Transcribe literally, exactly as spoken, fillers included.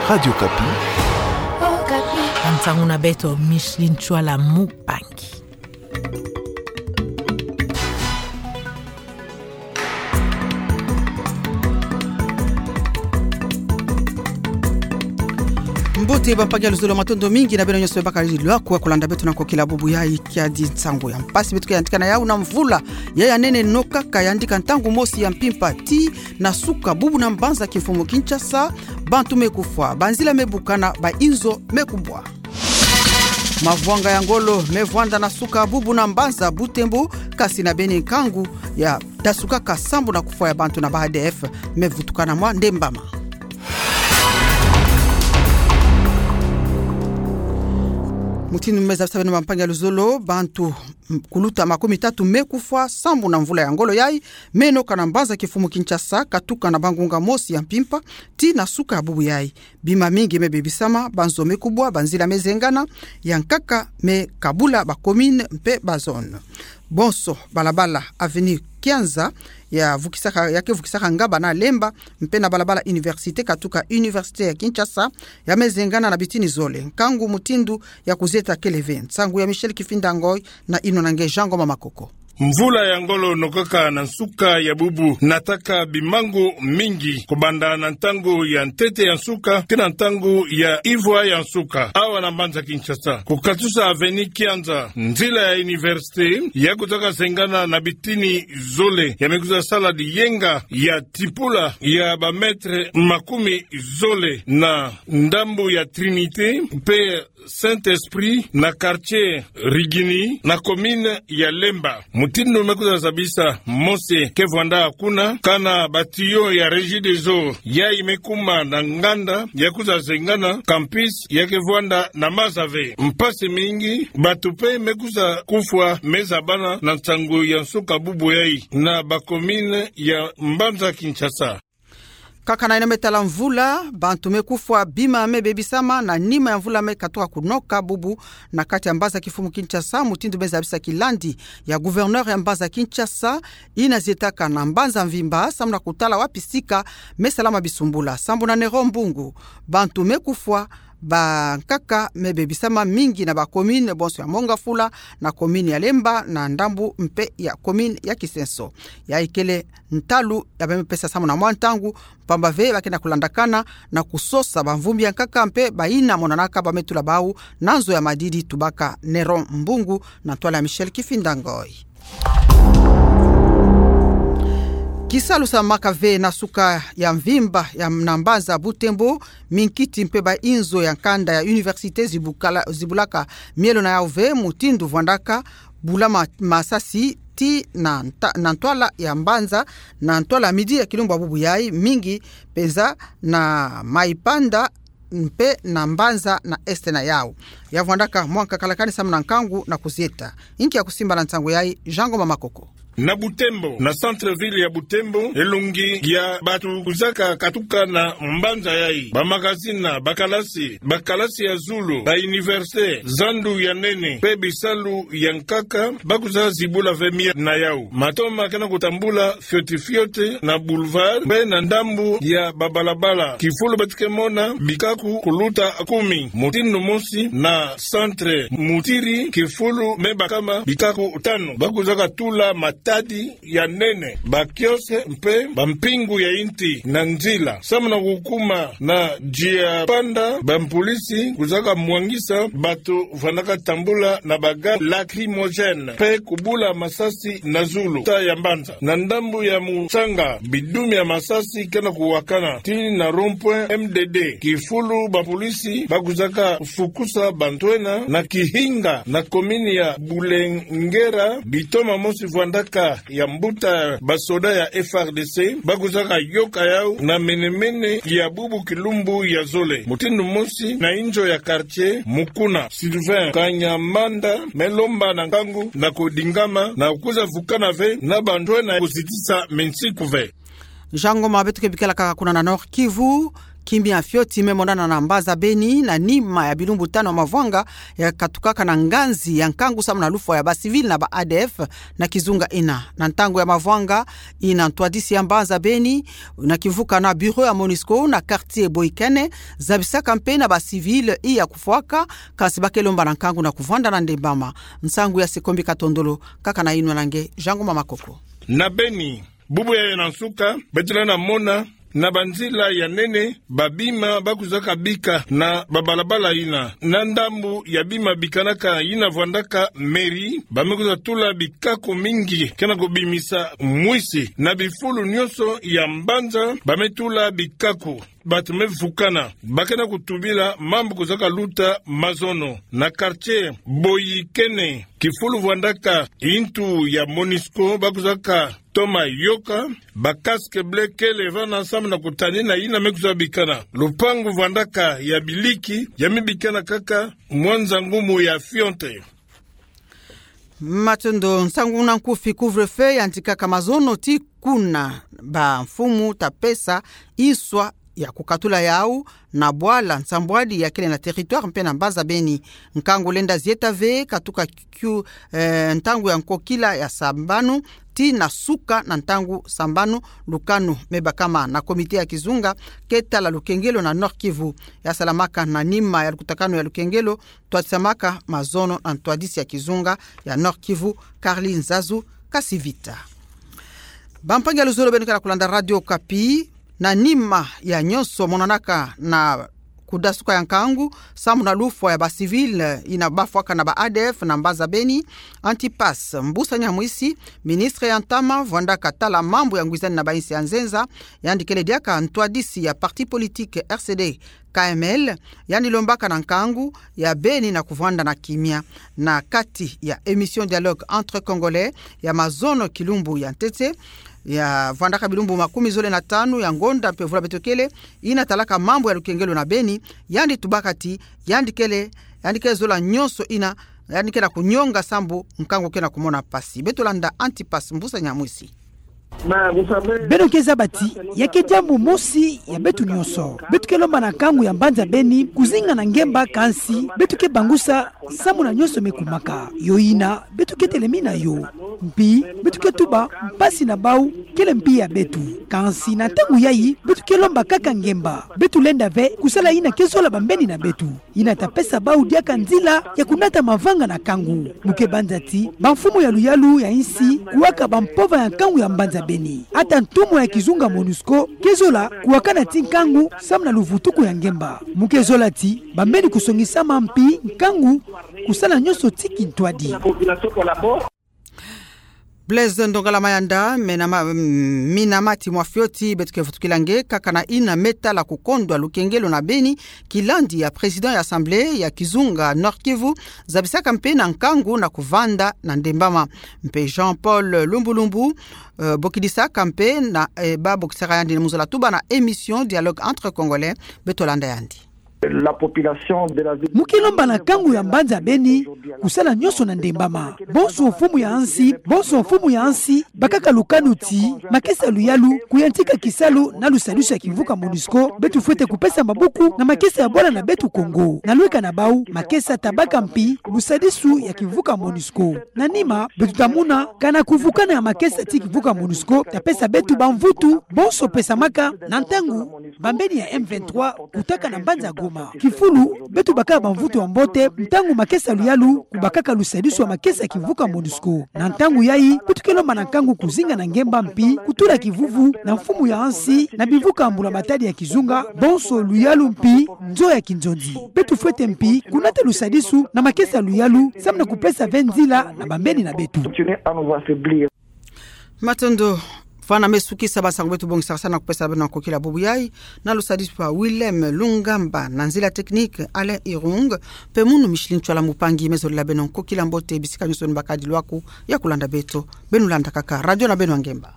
Radio Okapi. Okapi. Ntangu na beto Micheline Chouala Mupangi. Mbote bampangi ya luzolo, matondo mingi na beno nyonso me bakala lilwa kwa kulanda beto na kokila bubu yayi. Kiadi nsangu ya mpasi beto ke yantika na yawu. Na mvula ya ya nene nokaka yandika ntangu mosi ya mpimpa ti na suka bubu na mbanza kimfumu Kinshasa, bantu me kufwa, banzila me bukana, bainzo me kubwa. Mavwanga ya ngolo me vwanda na suka bubu na mbanza Butembo, kasi na beni nkangu ya tasukaka sambu na kufwa ya bantu na ba A D F me vutukana mwa ndembama. Mutindu me zabisa beno bampangi ya luzolo, bantu, mm, kuluta makumi tatu me kufwa sambu na mvula ya ngolo yayi me noka na mbanza kimfumu Kinshasa, katuka na bangunga mosi ya mpimpa ti na suka ya bubu yayi. Bima mingi me bebisama, banzo me kubwa, banzila me zengana, ya nkaka me kabula ba commune mpe ba zone. Bonso balabala avenue Kianza ya vukisaka, ya ke vukisaka Ngaba na Lemba, mpe na balabala Université katuka Université ya Kinshasa, ya me zengana na bitini zole. Nkangu mutindu ya kuzieta kele ve. Nsangu ya Michel Kifinda Ngoy na ino na nge Jean Ngoma Makoko. Mvula ya ngolo nokaka na nsuka ya bubu nataka bimangu mingi, kobanda na ntangu ya ntete ya nsuka tii na ntangu ya ivwa ya nsuka awa na mbanza Kinshasa. Kukatusa avenue Kianza, nzila ya Université ya kuzaka zengana na bitini zole, ya me kuza sala diyenga ya tipula ya ba mètre makumi zole na ndambu ya Trinité mpe Saint-Esprit na quartier Rigini na commune ya Lemba. Mutindu me kuza zabisa, mosi ke vwanda kuna, kana ba tuyau ya Regideso yayi me kuma na nganda ya kuza zengana, campus ya ke vwanda na maza ve. Mpasi mingi, bantu mpe me kuza kufwa me zabana na nsangu ya nsuka bubu yayi na ba commune ya mbanza Kinshasa. Kaka na ina me tala mvula, bantu me kufwa, bima me bebisama, na nima ya mvula me katuka kunoka bubu na kati ya mbanza kimfumu Kinshasa, mutindu me zabisa kilandi ya gouverneur ya mbanza Kinshasa, ina zietaka na mbanza mvimba, sambu na kutala wapi sika me salama bisumbula. Sambu na Nero Mbungu, bantu me kufwa, bankaka me bebisama mingi na ba commune bonso ya Mont-Ngafula, na commune ya Lemba, na ndambu mpe ya commune ya Kisenso. Yayi kele ntalu ya ba me pesa sambu na mwa ntangu, mpamba ve ba ke na kulandakana na kusosa bamvumbi ya nkaka mpe bayina monanaka ba me tula bawu na nzo ya madidi, tubaka Nero Mbungu na ntwala ya Michel Kifinda Ngoy. Kisalu samaka ve na suka ya mvimba ya na mbanza Butembo, minkiti mpe bainzo ya nkanda ya Université zibukala, zibulaka mielo na yawu ve, mutindu vwandaka bula ma-, masasi tii na nta-, na ntwala ya mbanza, na ntwala midi ya kilumbu ya bubu yayi, mingi mpenza na Maipanda mpe na mbanza na est na yawu. Ya vwandaka mwa nkakalakani sambu na nkangu na kuzieta. Inki ya kusimba na nsangu yayi, Jean Ngoma Makoko. Na Butembo, na centre-ville ya Butembo, elongi ya bantu kuzaka katuka na mbanza yayi. Ba magazine, ba kalasi, ba kalasi ya zulu, ba université, zandu ya nene, mpe bisalu ya nkaka, ba kuza zibula ve mielo na yawu. Matoma ke na kutambula fioti fioti na boulevard, mpe na ndambu ya ba balabala. Kifulu beto ke mona bikaku kuluta kumi. Mutindu mosi na centre Mutiri, kifulu me bakama bikaku tanu. Ba kuzaka tula matadi ya nene, ba kiosque mpe bampingu ya inti na nzila. Sambu na kukuma na Nzila Panda, bampolisi kuzaka mwangisa bantu vandaka tambula na ba gaz lacrymogène mpe kubula masasi na zulu ta ya mbanza. Na ndambu ya Mutsanga, bidumi ya masasi ke na kuwakana tii na rond-point M D D. Kifulu bapolisi ba kuzaka fukusa bantu ena na kihinga na commune ya Bulengera, bitoma mosi vwandaka ya mbuta basoda ya F R D C, ba kuzaka yoka yawu na mene-mene ya bubu kilumbu ya zole. Mutindu mosi na inzo ya quartier, Mukuna Sylvain Kanyamanda me lomba na nkangu na kudingama na kuza vukana ve na bantu ena kuzitisa minsiku ve. Jean Ngoma, beto ke bikala kaka kuna na Nord-Kivu, Kimia fioti me monana na mbanza Beni na nima ya bilumbu tanu ya mavwanga ya katukaka na nganzi ya nkangu samu na lufwa ya ba civil na ba A D F na kizunga ina. Na ntangu ya mavwanga ina, ntwadisi ya mbanza Beni na kivuka na bureau ya MONUSCO na quartier Boikene zabisaka mpe na ba civil iya kufwaka, kansi ba ke lomba na nkangu na kuvwanda na ndembama. Nsangu ya Sekombi Katondolo, kaka na inwa na nge Jean Ngoma Makoko. Na Beni, bubu yayi na nsuka, beto lenda mona na banzila ya nene, babima ba kuzaka bika na babalabala ina. Na ndambu ya bima bikanaka ina vwandaka mairie, ba me kwiza tula bikako mingi, kena kubimisa mwisi. Na bifulu nyonso ya mbanza, ba me tula bikako. Bato me vukana, ba kena kutubila mambu kuzaka luta mazono. Na quartier Boikene, kifulu vwandaka intu ya MONUSCO, ba kuzaka toma yoka, ba casque bleu kele vana samu na kutanina ina me kwiza bikana. Lupangu vwandaka ya biliki, ya me bikana kaka mwa nza ngumu ya fioti. Matondo. Nsangu na nkufi, couvre-feu yandikaka mazono tii kuna bamfumu ta pesa inswa ya kukatula yawu na bwala nsambwadi ya kele na territoire mpe na mbanza Beni. Nkangu lenda zieta ve katuka kiu, eh, ntangu ya nkokila ya sambanu tii na suka na ntangu sambanu. Lukanu me bakama na comité ya kizunga ke tala lukengelo na Nord-Kivu, ya salamaka na nima ya lukutakanu ya lukengelo, ntwadisamaka mazono na ntwadisi ya kizunga ya Nord-Kivu, Carly Nzazu Kasivita. Bampangi ya luzolo beno ke na kulanda Radio Okapi, na nima ya nyonso monanaka na kudasuka ya nkangu samu na lufwa ya ba civil ina bafwaka na ba A D F na mbanza Beni, Antipas Mbusa Nyamwisi, ministre ya ntama vwandaka tala mambu ya ngwizani na bainsi ya nzenza, yandi kele diaka ntwadisi ya parti politique R C D K M L, yandi lombaka na nkangu ya beni na kuvwanda na kimia. Na kati ya émission Dialogue entre Congolais ya mazono kilumbu ya ntete, ya vwandaka bilumbu makumi zole na tanu ya ngonda mpe vula beto kele, ina talaka mambu ya lukengelo na beni, yandi tubaka ti yandi kele, yandi kele zola nyonso ina, yandi kele na kunyonga sambu nkangu kele na kumona mpasi. Beto landa Antipas Mbusa Nyamwisi. Beno ke zaba ti ya ke diambu mosi ya beto nyonso. Beto ke lomba na nkangu ya mbanza beni kuzinga na ngemba, kansi beto ke bangusa samu na nyonso me kumaka. Yo ina beto ke telemina yo. Mpi beto ke tuba mpasi na bawu kele mpi ya beto. Kansi na ntangu yayi beto ke lomba kaka ngemba. Beto lenda ve kusala ina ke zola bambeni na beto, ina ta pesa bawu diaka nzila ya kunata mavanga na nkangu. Mu ke banza ti bamfumu ya luyalu ya insi kuwaka bampova ya nkangu ya mbanza beni. Ata ntumwa ya kizunga MONUSCO ke zola kuwakana ti nkangu samu na luvutuku ya ngemba. Mu ke zola ti bambeni kusongisama mpi nkangu kusala nyonso ti kintwadi. Blaise Ndongala Mayanda, mena ma-, mm, mina mati mwa fioti beto ke vutukila nge, kaka na ina me tala kukondwa lukengelo na beni, kilandi ya président ya assemblée ya kizunga Nord-Kivu zabisaka mpe na nkangu na kuvanda na ndembama. Mpe Jean-Paul Lumbulumbu, eh, bokidisaka mpe na, eh, ba bokisaka yandi na mu zola tuba na émission Dialogue entre Congolais, beto landa yandi. La population de la ville. Mu ke lomba na nkangu ya mbanza beni kusala nyonso na ndembama. Bonso mfumu ya nsi, bonso mfumu ya nsi bakaka lukanu ti makesa luyalu kuyantika kisalu na lusadisu ya kimvuka MONUSCO, beto fwete kupesa mabuku na makesa ya bwala na beto Kongo. Na lweka na bawu, makesa ta baka mpi lusadisu ya kimvuka MONUSCO. Na nima beto ta mona kana kuvukana ya makesa ti kimvuka MONUSCO ta pesa beto bamvutu bonso pesamaka na ntangu bambeni ya M vingt-trois kutaka na mbanza Goma. Kifulu, beto baka bamvutu ya mbote ntangu makesa luyalu kubakaka lusadisu ya makesa kimvuka MONUSCO. Na ntangu yayi beto ke lomba na nkangu kuzinga na ngemba mpi kutula kivuvu na mfumu ya nsi na bimvuka mbula matadi ya kizunga, bonso luyalu mpi nzo ya kinzonzi. Beto fwete mpi kunata lusadisu na makesa luyalu samu na kupesa ve nzila na bambeni na beto. Matondo. Fwana me sukisa bansangu beto bongisaka sa na kupesa beno na nkokila bubu yayi, na lusadisu pa Willem Lungamba, na nzila technique Alain Irung, mpe munu Micheline Tswala Mupangi me zolela beno nkokila mbote bisika nyonso ni bakadi lwaku ya kulanda beto. Beno landa kaka radio na beno ya ngemba.